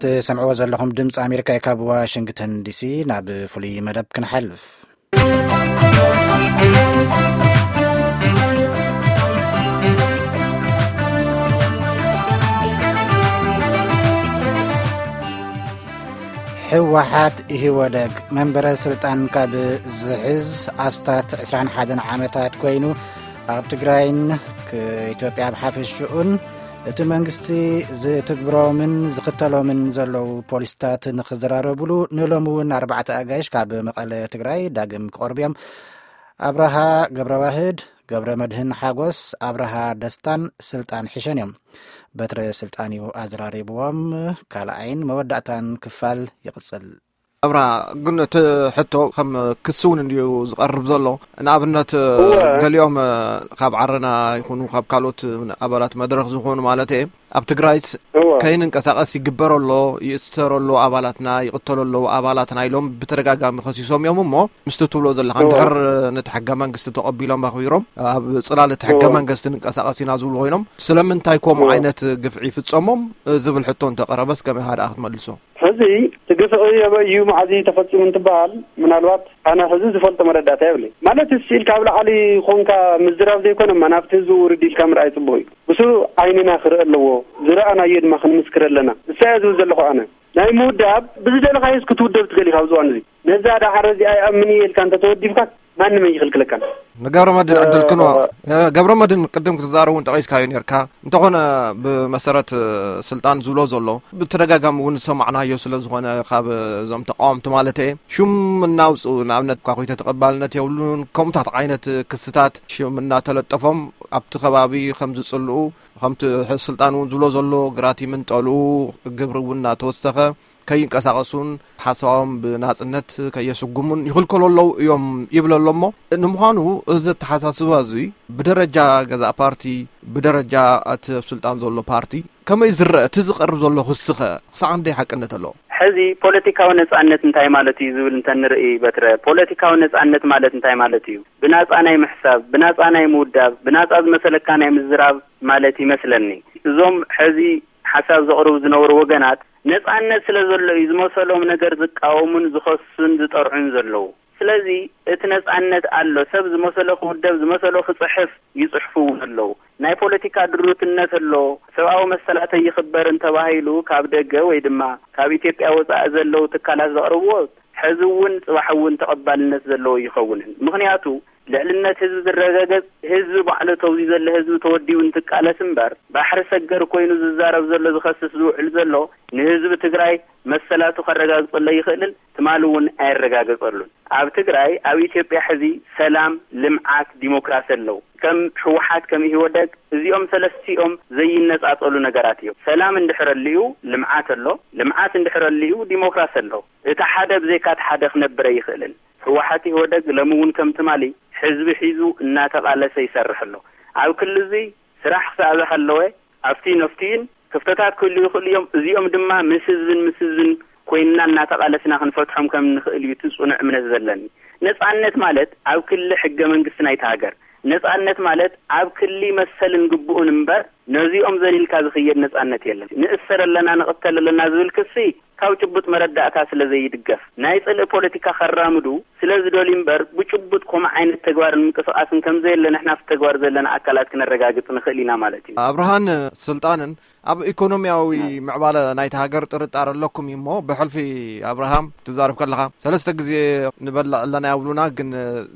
ትሰምዕዎ ዘለኹም ድምፂ ኣሜሪካ እዩ። ካብ ዋሽንግተን ዲሲ ናብ ፍሉይ መደብ ክንሓልፍ። ህወሓት ኢህወደግ መንበረ ስልጣን ካብ ዝሕዝ ኣስታት ዕስራን ሓደን ዓመታት ኮይኑ፣ ኣብ ትግራይን ክ-፣ ኢትዮጵያ ብሓፈሽኡን እቲ መንግስቲ ዝትግብሮምን ዝኽተሎምን ዘለዉ ፖሊስታት ንኽዘራረቡሉ ንሎሚ እውን ኣርባዕተ ኣጋይሽ ካብ መቐለ ትግራይ ዳግም ክቐርቡ እዮም። ኣብርሃ ገብረዋህድ፣ ገብረ መድህን ሓጎስ፣ ኣብርሃ ደስታን ስልጣን ሒሸን እዮም። በትረ ስልጣን እዩ ኣዘራሪብዎም። ካልኣይን መወዳእታን ክፋል ይቕጽል። ኣብራ፣ ግን እቲ ሕቶ ከም ክሲ እውን እንድዩ ዝቐርብ ዘሎ። ንኣብነት፣ እወ። ገሊኦም ካብ ዓረና ይኹኑ ካብ ካልኦት ኣባላት መድረኽ ዝኾኑ ማለት እየ፣ ኣብ ትግራይስ እወ። ከይንንቀሳቐስ ይግበር ኣሎ፣ ይእሰር ኣሎ ኣባላትና፣ ይቕተሉ ኣለዉ ኣባላትና ኢሎም ብተደጋጋሚ ከሲሶም እዮም። እሞ ምስቲ ትብሎ ዘለኻ እወ። እንድሕር ነቲ ሕገ መንግስቲ ተቐቢሎም ኣኽቢሮም ኣብ ጽላል እቲ ሕገ እወ። መንግስቲ ንንቀሳቐስ ኢና ዝብሉ ኮይኖም፣ ስለምንታይ ከምኡ እወ። ዓይነት ግፍዒ ይፍጸሞም ዝብል ሕቶ እንተቐረበስ ከመይ ኢኻ ደኣ ክትመልሶ? ሕዚ እቲ ግፍዒ ኣበይ እዩ፣ መዓዝ እዩ ተፈጺሙ እንትበሃል፣ ምናልባት ኣነ ሕዚ ዝፈልጦ መረዳእታ የብለይ። ማለት፣ ስኢልካ ኣብ ላዕሊ ኾንካ ምዝራብ ዘይኮነ፣ እማ ናብቲ ህዝቢ ውርድ ኢልካ ምርኣይ ጽቡቕ እዩ። ብሱ ዓይንና ክርኢ ኣለዎ፣ ዝረኣናዮ ድማ ክንምስክር ኣለና። እሳ እየ ዝብል ዘለኹ ኣነ። ናይ ምውዳብ፣ ብዝደለኻዮስ ክትውደብ ትኽእል ኢኻ ኣብዚ እዋን እዚ። ነዛ ደሓር እዚኣ ይኣምን እየ ኢልካ እንተተወዲብካ፣ ማንም ኣይኽልክለካን። ንገብረ መድህን ዕድል ክንዎ። እ፣ ገብረ መድህን፣ ቅድም ክትዛረብ እውን ጠቒስካዮ ነርካ። እንተኾነ፣ ብመሰረት፣ እ፣ ስልጣን ዝብሎ ዘሎ፣ ብተደጋጋሚ እውን ዝሰማዕናዮ ስለ ዝኾነ፣ ካብ እዞም ተቃወምቲ ማለት እየ፣ ሽም እናውፅኡ፣ ንኣብነት፣ ኳኹይተ ተቐባልነት የብሉን፣ ከምኡታት ዓይነት ክስታት ሽም እናተለጠፎም ኣብቲ ከባቢ ከም ዝጽልኡ፣ ከምቲ ሕ-፣ ስልጣን እውን ዝብሎ ዘሎ፣ ግራት ይምንጠሉ፣ ግብሪ እውን እናተወሰኸ፣ ከይንቀሳቐሱን ሓሳቦም ብናጽነት ከየስጉሙን ይኽልከሉ ኣለዉ እዮም ይብል ኣሎ። እሞ ንምዃኑ እዚ ኣተሓሳስባ እዚ ብደረጃ ገዛእ ፓርቲ፣ ብደረጃ እቲ ኣብ ስልጣን ዘሎ ፓርቲ ከመይ ዝረአ? እቲ ዝቐርብ ዘሎ ክስኸ ክሳዕ ክንደይ ሓቅነት ኣለዎ? ሕዚ ፖለቲካዊ ነጻነት እንታይ ማለት እዩ ዝብል እንተንርኢ፣ በትረ፣ ፖለቲካዊ ነጻነት ማለት እንታይ ማለት እዩ? ብናጻ ናይ ምሕሳብ፣ ብናጻ ናይ ምውዳብ፣ ብናጻ ዝመሰለካ ናይ ምዝራብ ማለት ይመስለኒ። እዞም ሕዚ ሓሳብ ዘቕርቡ ዝነበሩ ወገናት፣ ነጻነት ስለ ዘሎ እዩ ዝመሰሎም ነገር ዝቃወሙን ዝኸሱን ዝጠርዑን ዘለዉ። ስለዚ እቲ ነጻነት ኣሎ። ሰብ ዝመሰሎ ክውደብ፣ ዝመሰሎ ክጽሕፍ ይጽሕፉ እውን ኣለዉ። ናይ ፖለቲካ ድሩትነት ኣሎ። ሰብኣዊ መሰላተይ ይኽበር እንተባሂሉ ካብ ደገ ወይ ድማ ካብ ኢትዮጵያ ወጻኢ ዘለዉ ትካላት ዘቕርብዎ፣ ሕዚ እውን ጽባሕ እውን ተቐባልነት ዘለዎ ይኸውንን። ምኽንያቱ፣ ልዕልነት ህዝቢ ዝረጋገጽ፣ ህዝቢ ባዕሉ ተውዚ ዘሎ ህዝቢ ተወዲቡ እንትቃለስ እምበር፣ ባሕሪ ሰገር ኮይኑ ዝዛረብ ዘሎ፣ ዝኸስስ ዝውዕል ዘሎ፣ ንህዝቢ ትግራይ መሰላቱ ከረጋግጸሉ ኣይኽእልን፣ ትማሊ እውን ኣየረጋገጸሉን። ኣብ ትግራይ፣ ኣብ ኢትዮጵያ ሕዚ ሰላም፣ ልምዓት፣ ዲሞክራሲ ኣለዉ። ከም ህወሓት፣ ከም ኢህወደግ፣ እዚኦም ሰለስቲኦም ዘይነጻጸሉ ነገራት እዮም። ሰላም እንድሕር ኣልዩ፣ ልምዓት ኣሎ። ልምዓት እንድሕር ኣልዩ፣ ዲሞክራሲ ኣሎ። እቲ ሓደ ብዘይካ እቲ ሓደ ክነብር ኣይኽእልን። ህወሓት፣ ኢህወደግ ሎሚ እውን ከም ትማሊ ህዝቢ ሒዙ እናተቓለሰ ይሰርሕ ኣሎ። ኣብ ክሊ እዚ ስራሕ ክሳዕ ዝሃለወ፣ ኣብቲ ነፍቲን ክፍተታት ክህልዩ ይኽእሉ እዮም። እዚኦም ድማ ምስ ህዝብን ምስ ህዝብን ኮይንና እናተቓለስና ክንፈትሖም ከም ንኽእል እዩ እቲ ጽኑዕ እምነት ዘለኒ። ነጻነት ማለት ኣብ ክሊ ሕገ መንግስቲ ናይቲ ሃገር፣ ነጻነት ማለት ኣብ ክሊ መሰልን ግቡእን እምበር፣ ነዚኦም ዘሊልካ ዝኽየድ ነጻነት የለን። ንእሰር ኣለና፣ ንቕተል ኣለና ዝብል ክሲ ካብ ጭቡጥ መረዳእታ ስለ ዘይድገፍ፣ ናይ ጽልኢ ፖለቲካ ከራምዱ ስለ ዝደልዩ እምበር፣ ብጭቡጥ ከምኡ ዓይነት ተግባርን ምንቅስቓስን ከም ዘየለ ንሕና ኣብቲ ተግባር ዘለና ኣካላት ክነረጋግጽ ንኽእል ኢና ማለት እዩ። ኣብርሃን ስልጣንን ኣብ ኢኮኖሚያዊ ምዕባለ ናይቲ ሃገር ጥርጣረ ኣለኩም እዩ እሞ፣ ብሕልፊ ኣብርሃም ትዛረብ ከለኻ፣ ሰለስተ ግዜ ንበልዕ ኣለና ይብሉና፣ ግን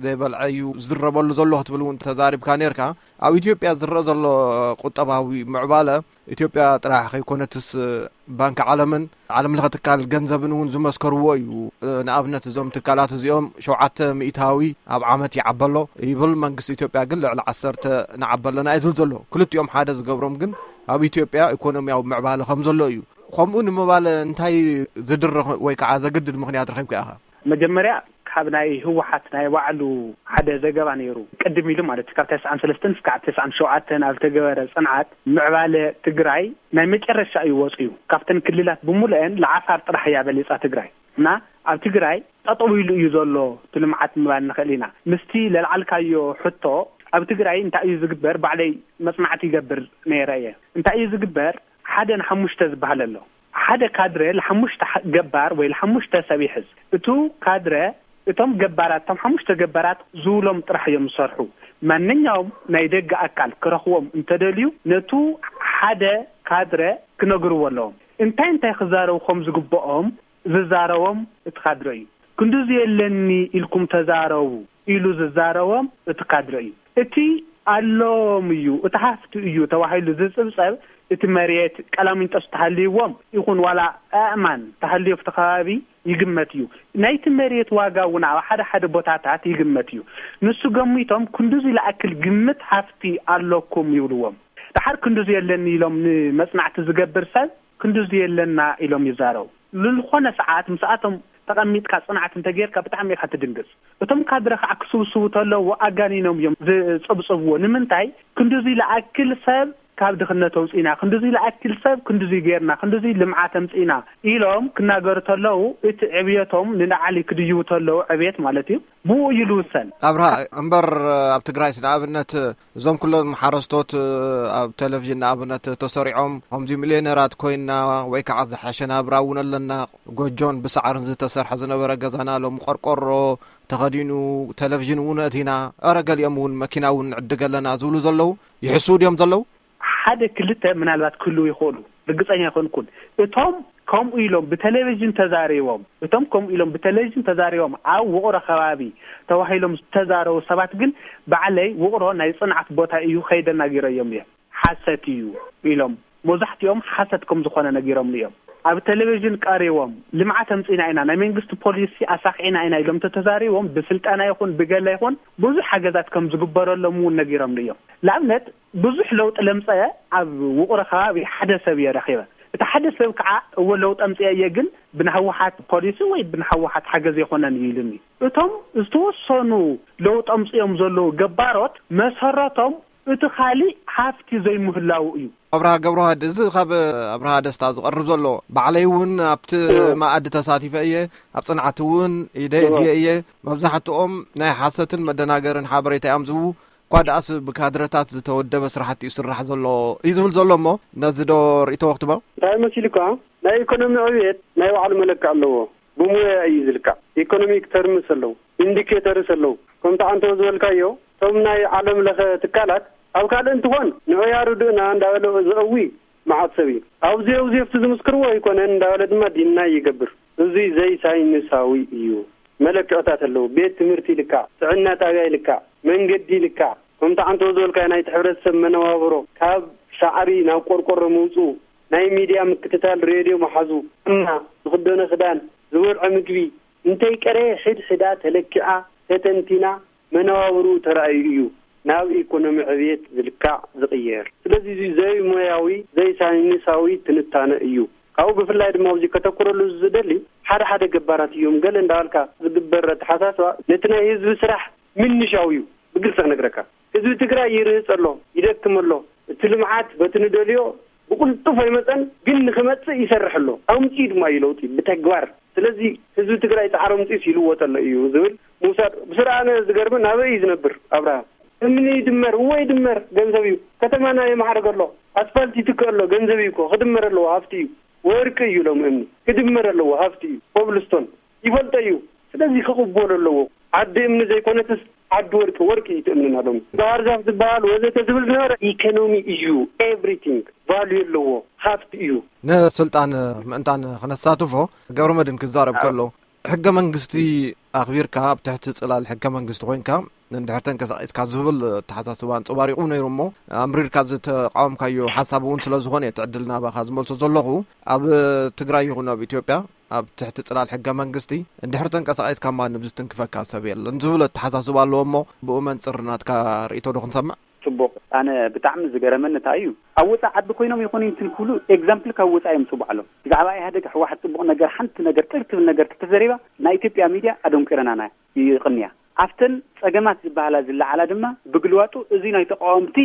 ዘይበልዐ እዩ ዝዝረበሉ ዘሎ ክትብል እውን ተዛሪብካ ነርካ። ኣብ ኢትዮጵያ ዝረአ ዘሎ ቁጠባዊ ምዕባለ፣ ኢትዮጵያ ጥራሕ ከይኮነትስ፣ ባንኪ ዓለምን ዓለም ለኸ ትካል ገንዘብን እውን ዝመስከርዎ እዩ። ንኣብነት፣ እዞም ትካላት እዚኦም ሸውዓተ ሚእታዊ ኣብ ዓመት ይዓበሎ ይብል፣ መንግስቲ ኢትዮጵያ ግን ልዕሊ ዓሰርተ ንዓበለና እዩ ዝብል ዘሎ። ክልቲኦም ሓደ ዝገብሮም ግን ኣብ ኢትዮጵያ ኢኮኖሚያዊ ምዕባለ ከም ዘሎ እዩ። ከምኡ ንምባል እንታይ ዝድርኽ ወይ ከዓ ዘግድድ ምኽንያት ረኺብካ ኢኻ? መጀመርያ፣ ካብ ናይ ህወሓት ናይ ባዕሉ ሓደ ዘገባ ነይሩ። ቅድም ኢሉ ማለት እዩ፣ ካብ ተስዓን ሰለስተን እስካዕ ተስዓን ሸውዓተን ኣብ ዝተገበረ ጽንዓት፣ ምዕባለ ትግራይ ናይ መጨረሻ እዩ ወጽዩ። ካብተን ክልላት ብምሉአን ለዓፋር ጥራሕ እያ በሊጻ ትግራይ። እና ኣብ ትግራይ ጠጠው ኢሉ እዩ ዘሎ እቲ ልምዓት ምባል ንኽእል ኢና። ምስቲ ለልዓልካዮ ሕቶ፣ ኣብ ትግራይ እንታይ እዩ ዝግበር? ባዕለይ መጽናዕቲ ይገብር ነይረ እየ። እንታይ እዩ ዝግበር? ሓደ ንሓሙሽተ ዝበሃል ኣሎ። ሓደ ካድረ ንሓሙሽተ ገባር ወይ ንሓሙሽተ ሰብ ይሕዝ። እቱ ካድረ እቶም ገባራት፣ እቶም ሓሙሽተ ገባራት ዝብሎም ጥራሕ እዮም ዝሰርሑ። ማንኛውም ናይ ደገ ኣካል ክረኽቦም እንተደልዩ፣ ነቱ ሓደ ካድረ ክነግርዎ ኣለዎም። እንታይ እንታይ ክዛረቡ ከም ዝግብኦም ዝዛረቦም እቲ ካድረ እዩ። ክንድዚ የለኒ ኢልኩም ተዛረቡ ኢሉ ዝዛረቦም እቲ ካድረ እዩ። እቲ ኣሎም እዩ፣ እቲ ሃፍቲ እዩ ተባሂሉ ዝጽብጸብ፣ እቲ መሬት ቀላሚንጦስ ተሃልይዎም ይኹን ዋላ ኣእማን ተሃልዮ ኣብቲ ከባቢ ይግመት እዩ። ናይቲ መሬት ዋጋ እውን ኣብ ሓደ ሓደ ቦታታት ይግመት እዩ። ንሱ ገሚቶም ክንድዚ ለኣክል ግምት ሃፍቲ ኣለኩም ይብልዎም። ደሓር ክንድዚ የለኒ ኢሎም ንመጽናዕቲ ዝገብር ሰብ ክንድዚ የለና ኢሎም ይዛረቡ። ልልኾነ ሰዓት ምስኣቶም ተቐሚጥካ ጽናዕት እንተጌርካ ብጣዕሚ ኢኻ ትድንግጽ። እቶም ካድረ ከዓ ክስብስቡ ተለዉ ኣጋኒኖም እዮም ዝጽብጽብዎ። ንምንታይ ክንድዚ ለኣክል ሰብ ካብ ድኽነት ኣውጺና፣ ክንድዚ ለኣክል ሰብ ክንድዚ ጌርና፣ ክንድዚ ልምዓት ኣምጺና ኢሎም ክናገሩ ተለዉ፣ እቲ ዕብየቶም ንላዕሊ ክድይቡ ተለዉ፣ ዕብየት ማለት እዩ፣ ብኡ እዩ ልውሰን። ኣብርሃ፣ እምበር ኣብ ትግራይስ ንኣብነት እዞም ኩሎም ሓረስቶት ኣብ ቴሌቪዥን ንኣብነት ተሰሪዖም ከምዚ ሚልዮነራት ኮይና ወይ ከዓ ዝሓሸ ናብራ እውን ኣለና፣ ጎጆን ብሳዕርን ዝተሰርሐ ዝነበረ ገዛና ሎም ቆርቆሮ ተኸዲኑ፣ ቴሌቪዥን እውን ኣእቲና፣ ኧረ ገሊኦም እውን መኪና እውን ንዕድግ ኣለና ዝብሉ ዘለዉ ይሕስዉ ድዮም ዘለዉ? ሓደ ክልተ ምናልባት ክህልዉ ይኽእሉ፣ ርግጸኛ ኣይኮንኩን። እቶም ከምኡ ኢሎም ብቴሌቪዥን ተዛሪቦም፣ እቶም ከምኡ ኢሎም ብቴሌቪዥን ተዛሪቦም ኣብ ውቕሮ ከባቢ ተባሂሎም ዝተዛረቡ ሰባት ግን ባዕለይ ውቕሮ ናይ ጽንዓት ቦታ እዩ፣ ከይደ ናጊረዮም እዮም። ሓሰት እዩ ኢሎም፣ መብዛሕትኦም ሓሰት ከም ዝኾነ ነጊሮምኒ እዮም። ኣብ ቴሌቪዥን ቀሪቦም ልምዓት ኣምጺና ኢና፣ ናይ መንግስቲ ፖሊሲ ኣሳኺዕና ኢና ኢሎም ተተዛሪቦም ብስልጠና ይኹን ብገለ ይኹን ብዙሕ ሓገዛት ከም ዝግበረሎም እውን ነጊሮምኒ እዮም። ንኣብነት ብዙሕ ለውጢ ለምጸ ኣብ ውቕሮ ከባቢ ሓደ ሰብ እየ ረኺበ። እቲ ሓደ ሰብ ከዓ እወ ለውጢ ኣምጽአ እየ ግን ብናህወሓት ፖሊሲ ወይ ብናህወሓት ሓገዝ የኾነን እዩ ኢሉኒ። እቶም ዝተወሰኑ ለውጢ ኣምጽኦም ዘለዉ ገባሮት መሰረቶም እቲ ካሊእ ሃፍቲ ዘይምህላዉ እዩ። ኣብርሃ ገብረዋህድ፣ እዚ ካብ ኣብርሃ ደስታ ዝቐርብ ዘሎ፣ ባዕለይ እውን ኣብቲ እዎ። መኣዲ ተሳቲፈ እየ፣ ኣብ ጽንዓት እውን ኢደ እዎ። እትየ እየ። መብዛሕትኦም ናይ ሓሰትን መደናገርን ሓበሬታ እዮም ዝህቡ። እኳ ደኣስ ብካድረታት ዝተወደበ ስራሕቲ እዩ ስራሕ ዘሎ እዩ ዝብል ዘሎ። እሞ ነዚ ዶ ርእይቶ ወክትቦ? እንታይ መሲልካ? ናይ ኢኮኖሚ ዕብየት ናይ ባዕሉ መለክዒ ኣለዎ። ብሙያ እዩ ዝልካዕ። ኢኮኖሚክ ተርምስ ኣለዉ፣ ኢንዲኬተርስ ኣለዉ። ከምቲ ኣንተ ዝበልካዮ፣ እቶም ናይ ዓለም ለኸ ትካላት ኣብ ካልእ እንትኾን ንዑ ያርድእና እንዳበለ ዘእዊ መዓት ሰብ እዩ። ኣብዚ ኣብዚ ኣብቲ ዝምስክርዎ ኣይኮነን እንዳበለ ድማ ዲናይ ይገብር። እዚ ዘይሳይንሳዊ እዩ። መለክዕታት ኣለዉ። ቤት ትምህርቲ ይልካዕ፣ ጥዕና ጣብያ ይልካዕ፣ መንገዲ ይልካዕ። ከምቲ ኣንተ ዝበልካዮ ናይቲ ሕብረተሰብ መነባብሮ ካብ ሳዕሪ ናብ ቆርቆሮ ምውፅኡ፣ ናይ ሚድያ ምክትታል፣ ሬድዮ ምሓዙ፣ ጥዕና፣ ዝኽደኖ ክዳን፣ ዝበልዖ ምግቢ፣ እንተይቀረየ ሕድ ሕዳ ተለኪዓ፣ ተተንቲና፣ መነባብርኡ ተራእዩ እዩ ናብ ኢኮኖሚ ዕብየት ዝልካዕ ዝቕየር። ስለዚ እዚ ዘይሞያዊ፣ ዘይሳይንሳዊ ትንታነ እዩ። ካብኡ ብፍላይ ድማ ኣብዚ ከተኩረሉ ዝደሊ ሓደ ሓደ ገባራት እዮም። ገለ እንዳበልካ ዝግበር ኣተሓሳስባ ነቲ ናይ ህዝቢ ስራሕ ምንሻው እዩ። ብግልፂ ክነግረካ፣ ህዝቢ ትግራይ ይርህፅ ኣሎ፣ ይደክም ኣሎ። እቲ ልምዓት በቲ ንደልዮ ብቕልጡፍ ኣይመፀን፣ ግን ንክመፅእ ይሰርሕ ኣሎ። ኣምፅኡ ድማ እዩ ለውጢ ብተግባር። ስለዚ ህዝቢ ትግራይ ፃዕሪ ኣምፅኡስ ይልወጥ ኣሎ እዩ ዝብል ምውሳድ ብስርዓነ ዝገርምን ኣበይ እዩ ዝነብር ኣብርሃ? እምኒ ይድመር፣ እወ ይድመር፣ ገንዘብ እዩ። ከተማና የማዕርግ ኣሎ፣ ኣስፋልት ይትክእ ኣሎ፣ ገንዘብ እዩ እኮ፣ ክድመር ኣለዎ፣ ሃፍቲ እዩ። ወርቂ እዩ ሎም እምኒ፣ ክድመር ኣለዎ፣ ሃፍቲ እዩ። ኮብልስቶን ይፈልጦ እዩ። ስለዚ ክቕበሎ ኣለዎ። ዓዲ እምኒ ዘይኮነትስ ዓዲ ወርቂ፣ ወርቂ እዩ እቲ እምንና ሎም። ባህር ዛፍ ዝበሃል ወዘተ ዝብል ዝነበረ ኢኮኖሚ እዩ፣ ኤቭሪቲንግ ቫልዩ ኣለዎ፣ ሃፍቲ እዩ። ንስልጣን ምእንታን ክነሳትፎ ገብረ መድን ክዛረብ ከሎ ሕገ መንግስቲ ኣኽቢርካ ኣብ ትሕቲ ጽላል ሕገ መንግስቲ ኮይንካ እንድሕር ተንቀሳቒስካ ዝብል ኣተሓሳስባ ኣንጸባሪቑ ነይሩ። እሞ ኣምሪርካ ዝተቃወምካዮ ሓሳብ እውን ስለ ዝኾነ እቲ ዕድል ናባኻ ዝመልሶ ዘለኹ። ኣብ ትግራይ ይኹን ኣብ ኢትዮጵያ ኣብ ትሕቲ ጽላል ሕገ መንግስቲ እንድሕር ተንቀሳቒስካ ማንም ዝትንክፈካ ሰብ የለን ዝብል ኣተሓሳስባ ኣለዎ። እሞ ብኡ መንጽር ናትካ ርእይቶ ዶ ክንሰምዕ? ጽቡቕ። ኣነ ብጣዕሚ ዝገረመኒ እንታይ እዩ፣ ኣብ ወጻኢ ዓዲ ኮይኖም ይኹን እንትን ክብሉ ኤግዛምፕል ካብ ወጻኢ የምጽኡ ባዕሎም። ብዛዕባ ኢህኣደግ፣ ህወሓት ጽቡቕ ነገር፣ ሓንቲ ነገር ቅር ትብል ነገር ተተዘሪባ፣ ናይ ኢትዮጵያ ሚድያ ኣደንቂረናና ይቕንያ። ኣብተን ጸገማት ዝበሃላ ዝለዓላ ድማ ብግልባጡ እዚ ናይ ተቃወምቲ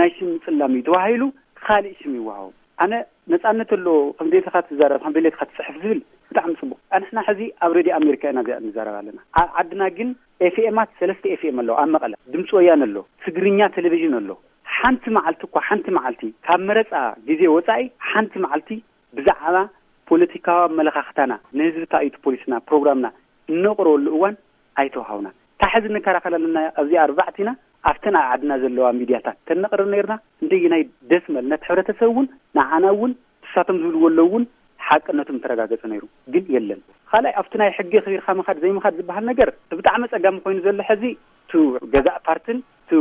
ናይ ሽም ምጽላም እዩ ተባሂሉ ካልእ ሽም ይወሃቦ። ኣነ ነጻነት ኣሎ፣ ከም ድሌትኻ ትዛረብ፣ ከም ድሌትኻ ትጽሕፍ ዝብል ብጣዕሚ ጽቡቕ። ኣንሕና ሕዚ ኣብ ሬድዮ ኣሜሪካ ኢና እዚኣ ንዛረብ ኣለና። ኣብ ዓድና ግን ኤፍኤማት፣ ሰለስተ ኤፍኤም ኣለዉ ኣብ መቐለ። ድምፂ ወያነ ኣሎ፣ ትግርኛ ቴሌቪዥን ኣሎ። ሓንቲ መዓልቲ እኳ፣ ሓንቲ መዓልቲ ካብ መረፃ ግዜ ወፃኢ ሓንቲ መዓልቲ ብዛዕባ ፖለቲካዊ ኣመለኻኽታና፣ ንህዝቢ እንታይ እዩ እቲ ፖሊስና፣ ፕሮግራምና እነቕርበሉ እዋን ኣይተዋሃቡና። እታ ሕዚ እንከራኸረልና ኣብዚ ኣርባዕቲና ኣብተን ኣብ ዓድና ዘለዋ ሚድያታት ተነቕርብ ነርና። እንደየናይ ደስ መል ነቲ ሕብረተሰብ እውን ንዓና እውን ንሳቶም ዝብልዎ ኣለዉ እውን ሓቅነቱ ምተረጋገጸ ነይሩ። ግን የለን። ካልኣይ ኣብቲ ናይ ሕጊ ኣኽቢርካ ምኻድ ዘይምኻድ ዝበሃል ነገር እቲ ብጣዕሚ ኣጸጋሚ ኮይኑ ዘሎ ሕዚ እቲ ገዛእ ፓርትን እቲ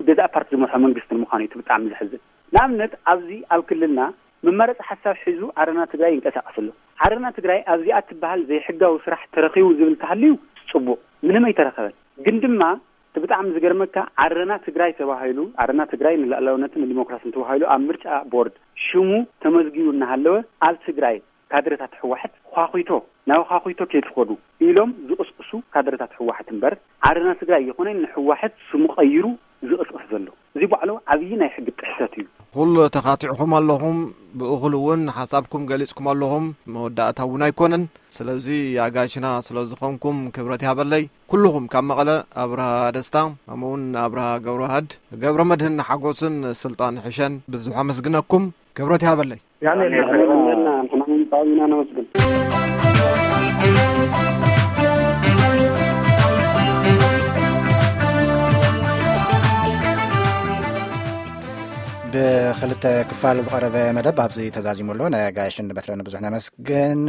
ገዛእ ፓርቲ ዝመርሖ መንግስትን ምዃኑ እዩ እቲ ብጣዕሚ ዘሕዝን። ንኣብነት ኣብዚ ኣብ ክልልና መማረፂ ሓሳብ ሒዙ ዓረና ትግራይ ይንቀሳቀስ ኣሎ። ዓረና ትግራይ ኣብዚኣ ትበሃል ዘይሕጋዊ ስራሕ ተረኺቡ ዝብል ተሃልዩ ጽቡቕ፣ ምንም ኣይተረኸበን። ግን ድማ እቲ ብጣዕሚ ዝገርመካ ዓረና ትግራይ ተባሂሉ፣ ዓረና ትግራይ ንልኣላውነትን ንዲሞክራስን ተባሂሉ ኣብ ምርጫ ቦርድ ሽሙ ተመዝጊቡ እናሃለወ ኣብ ትግራይ ካድረታት ህወሓት ዃኺቶ ናብ ዃኺቶ ከይትኸዱ ኢሎም ዝቕስቅሱ ካድረታት ህወሓት እምበር ዓረና ትግራይ ይኹነ ንህወሓት ስሙ ቀይሩ ዝቕስቅስ ዘሎ እዚ ባዕሉ ዓብዪ ናይ ሕጊ ጥሕሰት እዩ። ኩሉ ተኻቲዕኹም ኣለኹም፣ ብእኹል እውን ሓሳብኩም ገሊጽኩም ኣለኹም። መወዳእታ እውን ኣይኮነን። ስለዚ ኣጋሽና ስለ ዝኾንኩም ክብረት ያበለይ። ኩልኹም ካብ መቐለ ኣብርሃ ደስታ፣ ከምኡ እውን ኣብርሃ ገብረዋህድ፣ ገብረ መድህን ሓጎስን ስልጣን ሕሸን ብዙሕ ኣመስግነኩም። ክብረት ያበለይ። ያኔ ያኔ ንሕና ንሕና ብጣዕሚ ኢና ነመስግን። ብክልተ ክፋል ዝቐረበ መደብ ኣብዚ ተዛዚሙ ኣሎ። ነጋሽን በትረን ብዙሕ ነመስግን።